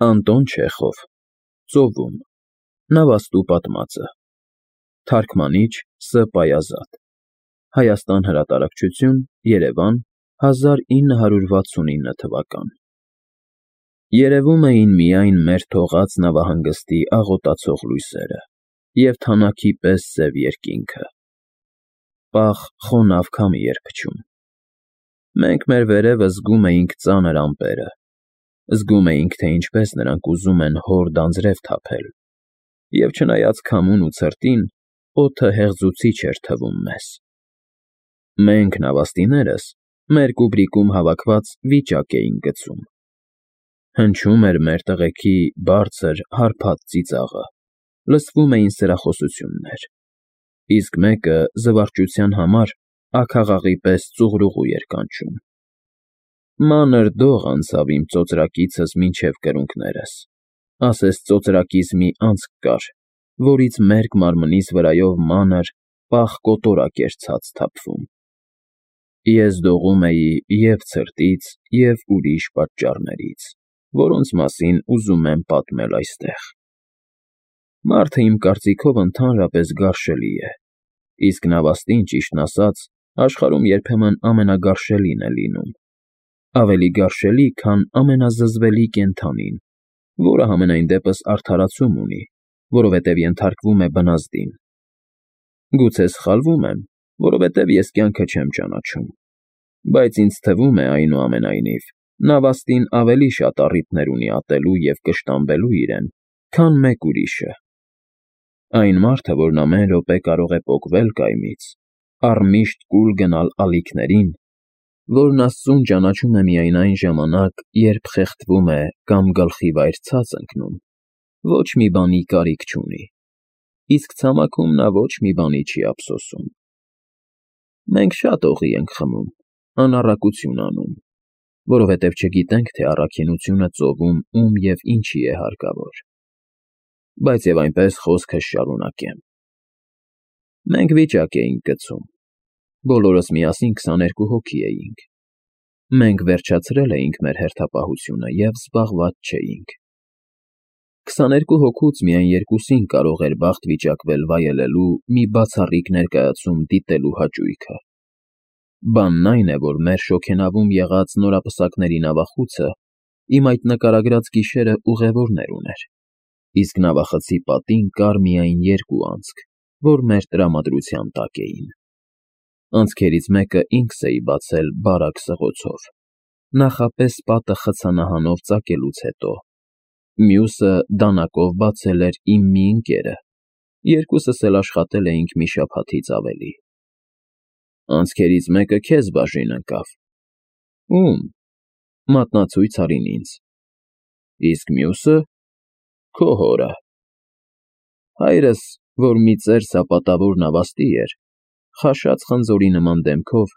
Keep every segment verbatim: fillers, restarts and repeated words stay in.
Անտոն Չեխով, Ծովում, Նավաստու պատմածը, Թարգմանիչ Ս. Պայազատ, Հայաստան հրատարակչություն, Երևան, հազար ինը հարյուր վաթսունինը թվական։ Երևում էին միայն մեր թողած նավահանգստի աղոտացող լույսերը և թանաքի պես սև երկինքը։ Պաղ խոնավ քամի էր փչում։ Մենք մեր վերևը զգում էինք ծանր ամպերը, զգում էինք, թե ինչպես նրանք ուզում են հորդ անձրև թափել, և չնայած քամուն ու ցրտին, օդը հեղձուցիչ էր թվում մեզ։ Մենք, նավաստիներս, մեր կուբրիկում հավաքված վիճակ էինք գցում։ Հնչում էր մեր տղեքի բարձր, հարբած ծիծաղը, լսվում էին սրախոսություններ, իսկ մեկը զվարճության համար աքաղաղի պես ծուղրուղու էր կանչում։ Մանր դող անցավ իմ ծոծրակիցս մինչև կրունկներս, ասես ծոծրակիս մի անցք կար, որից մերկ մարմնիս վրայով մանր, պաղ կոտորակ էր ցած թափվում։ Ես դողում էի և՛ ցրտից, և՛ ուրիշ պատճառներից, որոնց մասին ուզում եմ պատմել այստեղ։ Մարդը, իմ կարծիքով, ընդհանրապես գարշելի է, իսկ նավաստին, ճիշտն ասած, աշխարհում երբեմն ամենագարշելին է լինում, ավելի գարշելի, քան ամենազզվելի կենդանին, որը համենայն դեպս արդարացում ունի, որովհետև ենթարկվում է բնազդին։ Գուցե սխալվում եմ, որովհետև ես կյանքը չեմ ճանաչում, բայց ինձ թվում է, այնուամենայնիվ, նավաստին ավելի շատ առիթներ ունի ատելու և կշտամբելու իրեն, քան մեկ ուրիշը։ Այն մարդը, որն ամեն րոպե կարող է պոկվել կայմից, առմիշտ կուլ գնալ ալիքներին, որն Աստծուն ճանաչում է միայն այն ժամանակ, երբ խեղդվում է կամ գլխի վայր ցած ընկնում, ոչ մի բանի կարիք չունի, իսկ ցամաքում նա ոչ մի բանի չի ափսոսում։ Մենք շատ օղի ենք խմում, անառակություն անում, որովհետև չգիտենք, թե առաքինությունը ծովում ում և ինչի է հարկավոր։ Բայց և այնպես խոսքս շարունակեմ։ Մենք վիճակ էինք գցում, բոլորս միասին քսաներկու հոգի էինք։ Մենք վերջացրել էինք մեր հերթապահությունը և զբաղված չէինք։ Քսաներկու հոգուց միայն երկուսին կարող էր բախտ վիճակվել վայելելու մի բացառիկ ներկայացում դիտելու հաճույքը։ Բանն այն է, որ մեր շոգենավում եղած նորապսակների նավախուցը իմ այդ նկարագրած գիշերը ուղևորներ ուներ, իսկ նավախցի պատին կար միայն երկու անցք, որ մեր տրամադրության տակ էին։ Անցքերից մեկը ինքս էի բացել բարակ սղոցով, նախապես պատը խցանահանով ծակելուց հետո, մյուսը դանակով բացել էր իմ մի ընկերը, երկուսս էլ աշխատել էինք մի շաբաթից ավելի։ Անցքերից մեկը քեզ բաժին ընկավ։ Ո՞ւմ։ Մատնացույց արին ինձ։ Իսկ մյուսը՝ քո հորը։ Հայրս, որ մի ծեր սապատավոր նավաստի էր, խաշած խնձորի նման դեմքով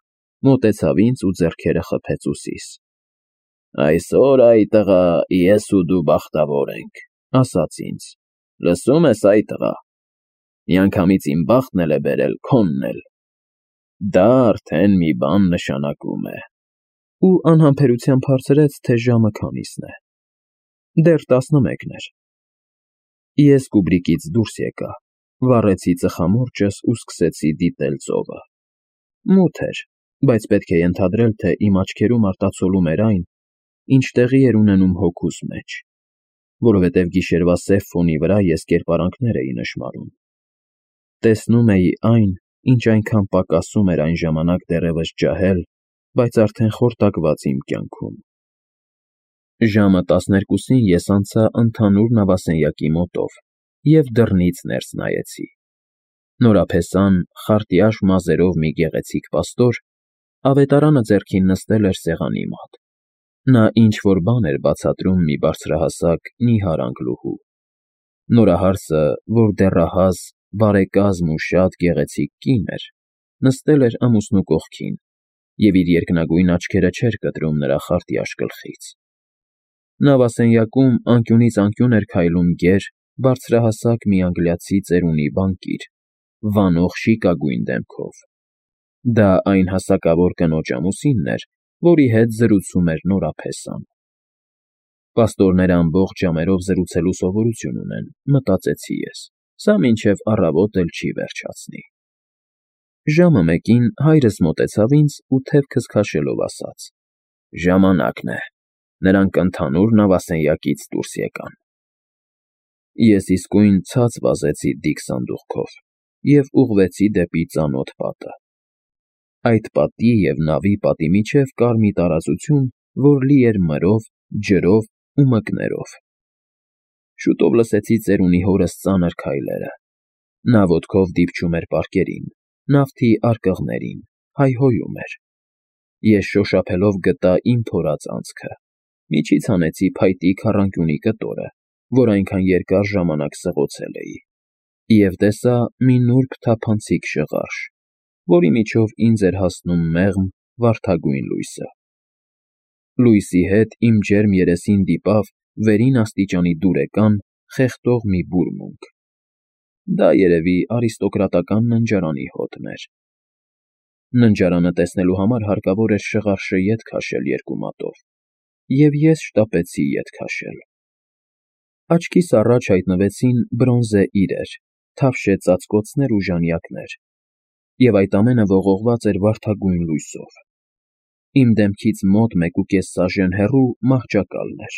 մոտեցավ ինձ ու ձեռքերը խփեց ուսիս։ «Այսօր, այ տղա, ես ու դու բախտավոր ենք», ասաց ինձ, «լսո՞ւմ ես, այ տղա, միանգամից իմ բախտն էլ է բերել քոնն էլ։ Դա արդեն մի բան նշանակում է»։ Ու անհամբերությամբ հարցրեց, թե ժամը քանիսն է։ Դեռ տասնմեկն էր։ Ես կուբրիկից դուրս եկա, վառեցի ծխամորճս ու սկսեցի դիտել ծովը։ Մութ էր, բայց պետք է ենթադրել, թե իմ աչքերում արտացոլում էր այն, ինչ տեղի էր ունենում հոգուս մեջ, որովհետև գիշերվա սև ֆոնի վրա ես կերպարանքներ էի նշմարում։ Տեսնում էի այն, ինչ այնքան պակասում էր այն ժամանակ դեռևս ջահել, բայց արդեն խորտակված իմ կյանքում։ Ժամը տասներկուսին ես անցա ընդհանուր նավասենյակի մոտով և դռնից ներս նայեցի։ Նորափեսան, խարտյաշ մազերով մի գեղեցիկ պաստոր ավետարանը ձեռքին նստել էր սեղանի մոտ։ Նա ինչ֊որ բան էր բացատրում մի բարձրահասակ, նիհար անգլուհու։ Նորահարսը, որ դեռահաս, բարեկազմ ու շատ գեղեցիկ կին էր, նստել էր ամուսնու կողքին և իր երկնագույն աչքերը չէր կտրում նրա խարտյաշ գլխից։ Նավասենյակում անկյունից անկյուն էր քայլում գեր, բարձրահասակ մի անգլիացի ծերունի բանկիր, վանող շիկագույն դեմքով։ Դա այն հասակավոր կնոջ ամուսինն էր, որի հետ զրուցում էր Նորափեսան։ Պաստորները ամբողջ ժամերով զրուցելու սովորություն ունեն, մտածեցի ես, սա մինչև առավոտ էլ չի վերջացնի։ Ժամը մեկին հայրս մոտեցավ ինձ ու թևքս քաշելով ասաց. «Ժամանակն է»։ Նրանք ընդհանուր նավասենյակից դուրս եկան։ Ես իսկույն ցած վազեցի դիք սանդուղքով և ուղղվեցի դեպի ծանոթ պատը։ Այդ պատի և նավի պատի միջև կար մի տարածություն, որ լի էր մրով, ջրով ու մկներով։ Շուտով լսեցի ծերունի հորս ծանր քայլերը։ Նա ոտքով դիպչում էր պարկերին, նավթի արկղներին, հայհոյում էր։ Ես շոշափելով գտա իմ փորած անցքը, միջից հանեցի փայտի քառանկյունի կտորը, որ այնքան երկար ժամանակ սղոցել էի, և տեսա մի նուրբ թափանցիկ շղարշ, որի միջով ինձ էր հասնում մեղմ, վարդագույն լույսը։ Լույսի հետ իմ ջերմ երեսին դիպավ վերին աստիճանի դուրեկան, խեղդող մի բուրմունք։ Դա երևի արիստոկրատական ննջարանի հոտն էր։ Ննջարանը տեսնելու համար հարկավոր էր շղարշը ետ քաշել երկու մատով, և ես շտապեցի ետ քաշել։ Աչքիս առաջ հայտնվեցին բրոնզե իրեր, թավշե ծածկոցներ ու ժանյակներ, և այդ ամենը ողողված էր վարդագույն լույսով։ Իմ դեմքից մոտ մեկուկես սաժեն հեռու մահճակալն էր։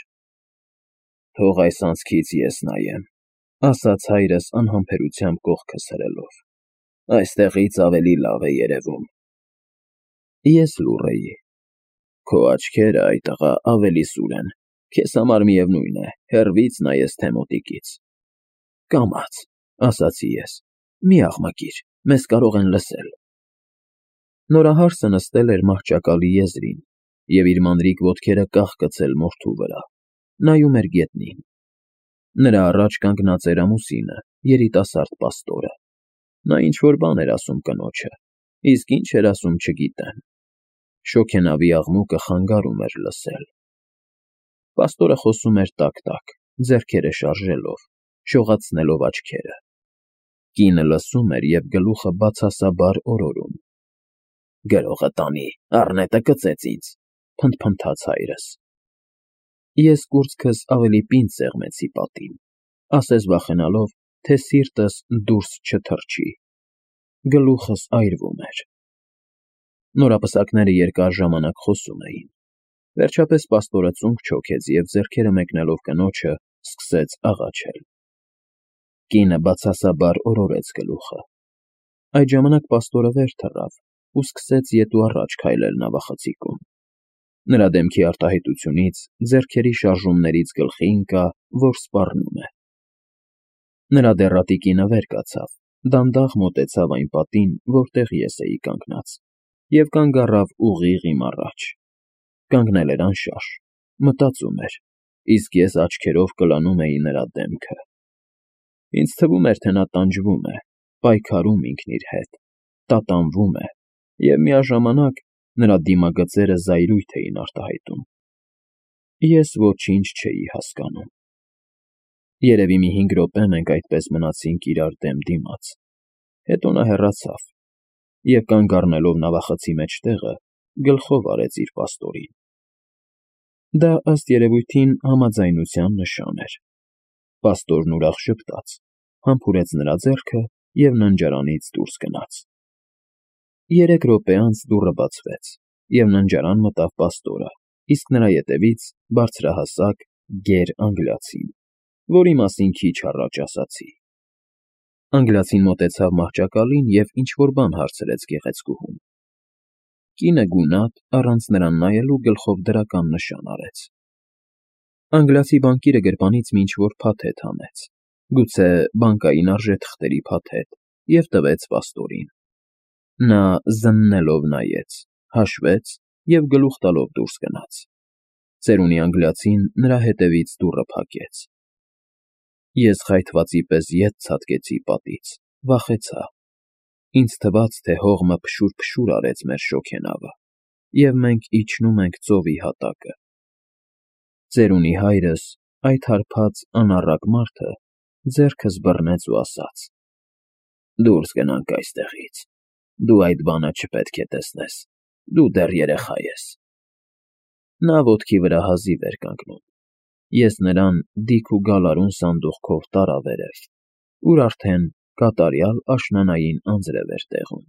«Թող այս անցքից ես նայեմ», ասաց հայրս անհամբերությամբ կողքս հրելով։ «Այստեղից ավելի լավ է երևում»։ Ես լուռ էի։ «Քո աչքերը, այ տղա, ավելի սուր են, քեզ համար միևնույն է, հեռվից նայես, թե մոտիկից»։ «Կամաց», ասացի ես, «մի աղմկիր, մեզ կարող են լսել»։ Նորահարսը նստել էր մահճակալի եզրին և իր մանրիկ ոտքերը կախկցել մորթու վրա, նայում էր գետնին։ Նրա առաջ կանգնած էր ամուսինը, երիտասարդ պաստորը։ Նա ինչ֊որ բան էր ասում կնոջը, իսկ ինչ էր ասում չգիտեմ։ Շոգենավի աղմուկը խանգարում էր լսել։ Պաստորը խոսում էր տակ֊տակ, ձեռքերը շարժելով, շողացնելով աչքերը։ Կինը լսում էր և գլուխը բացասաբար օրորում։ «Գրողը տանի, առնետը կծեց ինձ», փնթփնթաց հայրս։ Ես կուրծքս ավելի պինդ սեղմեցի պատին, ասես վախենալով, թե սիրտս դուրս չթռչի։ Գլուխս այրվում էր։ Նորապսակները երկար ժամանակ խոսում էին։ Վերջապես պաստորը ծունկ չոքեց և, ձեռքերը մեկնելով կնոջը, սկսեց աղաչել։ Կինը բացասաբար օրորեց գլուխը։ Այդ ժամանակ պաստորը վեր թռավ ու սկսեց ետ ու առաջ քայլել նավախցիկում։ Նրա դեմքի արտահայտությունից, ձեռքերի շարժումներից գլխի ընկա, որ սպառնում է։ Նրա դեռատի կինը վեր կացավ, դանդաղ մոտեցավ այն պատին, որտեղ ես էի կանգնած, և կանգ առավ ուղիղ իմ առաջ։ Կանգնել էր անշարժ, մտածում էր, իսկ ես աչքերով կլանում էի նրա դեմքը։ Ինձ թվում էր, թե նա տանջվում է, պայքարում ինքն իր հետ, տատանվում է, և միաժամանակ նրա դիմագծերը զայրույթ էին արտահայտում։ Ես ոչինչ չէի հասկանում։ Երևի մի հինգ րոպե մենք այդպես մնացինք իրար դեմ դիմաց, հետո նա հեռացավ և, կանգ առնելով նավախցի մեջտեղը, գլխով արեց իր պաստորին։ Դա, ըստ երևույթին, համաձայնության նշան էր։ Պաստորն ուրախ ժպտաց, համբուրեց նրա ձեռքը և ննջարանից դուրս գնաց։ Երեք րոպե անց դուռը բացվեց, և ննջարան մտավ պաստորը, իսկ նրա ետևից բարձրահասակ, գեր անգլիացին, որի մասին քիչ առաջ ասացի։ Անգլիացին մոտեցավ մահճակալին և ինչ֊որ բան հարցրեց գեղեցկուհուն։ Կինը գունատ, առանց նրան նայելու, գլխով դրական նշան արեց։ Անգլիացի բանկիրը գրպանից մի ինչ֊որ փաթեթ հանեց, գուցե բանկային արժեթղթերի փաթեթ, և տվեց պաստորին։ Նա զննելով նայեց, հաշվեց և գլուխ տալով դուրս գնաց։ Ծերունի անգլիացին նրա հետևից դուռը փակեց։ Ես խայթվածի պես ետ ցատկեցի պատից, վախեցա։ Ինձ թվաց, թե հողմը փշուր֊փշուր արեց մեր շոգենավը, և մենք իջնում ենք ծովի հատակը։ Ծերունի հայրս, այդ հարբած անառակ մարդը, ձեռքս բռնեց ու ասաց. «Դուրս գնանք այստեղից։ Դու այդ բանը չպետք է տեսնես, դու դեռ երեխա ես»։ Նա ոտքի վրա հազիվ էր կանգնում։ Ես նրան դիք ու գալարուն սանդուղքով տարա վերև, ուր արդեն կատարյալ աշնանային անձրև էր տեղում։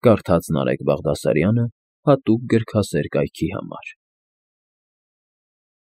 Կարդաց Նարեկ Բաղդասարյանը հատուկ գրքասեր կայքի համար։